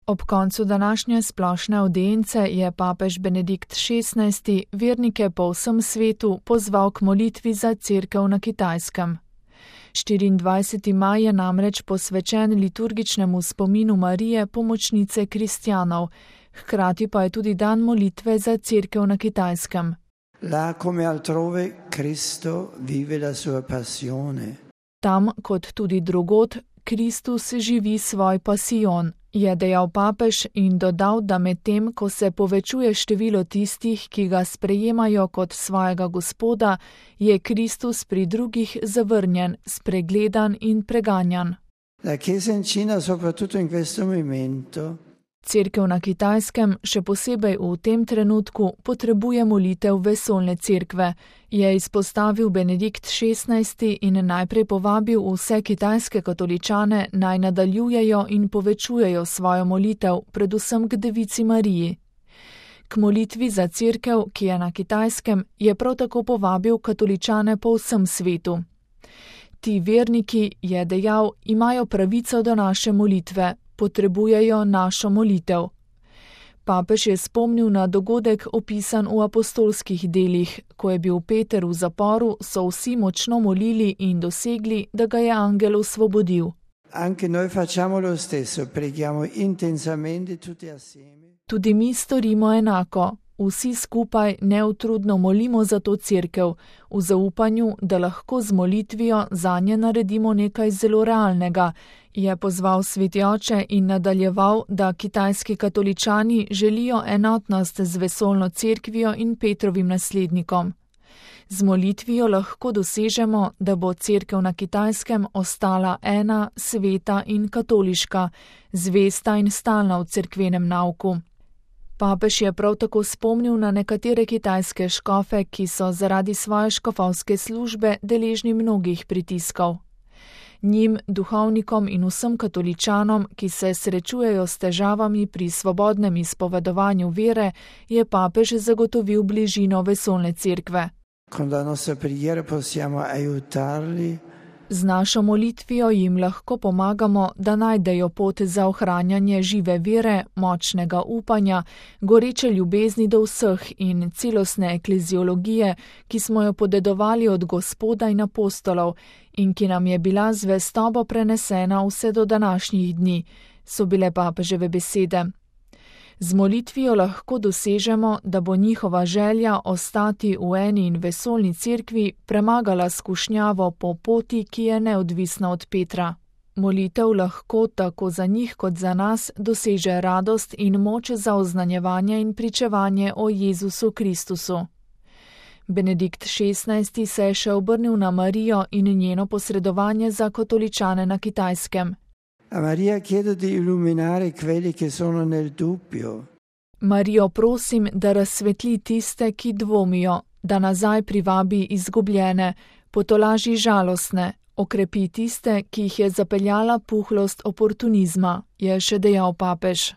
Ob koncu današnje splošne avdience je papež Benedikt XVI vernike po vsem svetu pozval k molitvi za Cerkev na Kitajskem. 24. maj je namreč posvečen liturgičnemu spominu Marije, pomočnice kristjanov, hkrati pa je tudi dan molitve za Cerkev na Kitajskem. Là come altrove Cristo vive la sua passione. Tam, kot tudi drugod, Kristus živi svoj pasijon, je dejal papež in dodal, da medtem, ko se povečuje število tistih, ki ga sprejemajo kot svojega Gospoda, je Kristus pri drugih zavrnjen, spregledan in preganjan. La Chiesa in Cina, soprattutto in questo momento, Cerkev na Kitajskem, še posebej v tem trenutku, potrebuje molitev vesoljne cerkve, je izpostavil Benedikt XVI in najprej povabil vse kitajske katoličane naj nadaljujejo in povečujejo svojo molitev, predvsem k Devici Mariji. K molitvi za cerkev, ki je na Kitajskem, je prav tako povabil katoličane po vsem svetu. Ti verniki, je dejal, imajo pravico do naše molitve, potrebujejo našo molitev. Papež je spomnil na dogodek opisan v apostolskih delih, ko je bil Peter v zaporu, so vsi močno molili in dosegli, da ga je angel osvobodil. anche noi facciamo lo stesso, preghiamo intensamente tutti assieme. Tudi mi storimo enako. Vsi skupaj neutrudno molimo za to cerkev, v zaupanju, da lahko z molitvijo zanje naredimo nekaj zelo realnega, je pozval sveti oče in nadaljeval, da kitajski katoličani želijo enotnost z vesoljno cerkvijo in Petrovim naslednikom. Z molitvijo lahko dosežemo, da bo cerkev na Kitajskem ostala ena, sveta in katoliška, zvesta in stalna v cerkvenem nauku. Papež je prav tako spomnil na nekatere kitajske škofe, ki so zaradi svoje škofovske službe deležni mnogih pritiskov. Njim, duhovnikom in vsem katoličanom, ki se srečujejo s težavami pri svobodnem izpovedovanju vere, je papež zagotovil bližino vesoljne cerkve. Con la nostra preghiera possiamo aiutarli. Z našo molitvijo jim lahko pomagamo, da najdejo pot za ohranjanje žive vere, močnega upanja, goreče ljubezni do vseh in celostne ekleziologije, ki smo jo podedovali od Gospoda in apostolov in ki nam je bila zvestobo prenesena vse do današnjih dni, so bile papeževe besede. Z molitvijo lahko dosežemo, da bo njihova želja ostati v eni in vesoljni cerkvi premagala skušnjavo po poti, ki je neodvisna od Petra. Molitev lahko tako za njih kot za nas doseže radost in moč za oznanjevanje in pričevanje o Jezusu Kristusu. Benedikt XVI se je še obrnil na Marijo in njeno posredovanje za katoličane na Kitajskem. A Maria chiedo di illuminare quelli che sono nel dubbio. Marijo prosim, da razsvetli tiste, ki dvomijo, da nazaj privabi izgubljene, potolaži žalostne, okrepi tiste, ki jih je zapeljala puhlost oportunizma, je še dejal papež.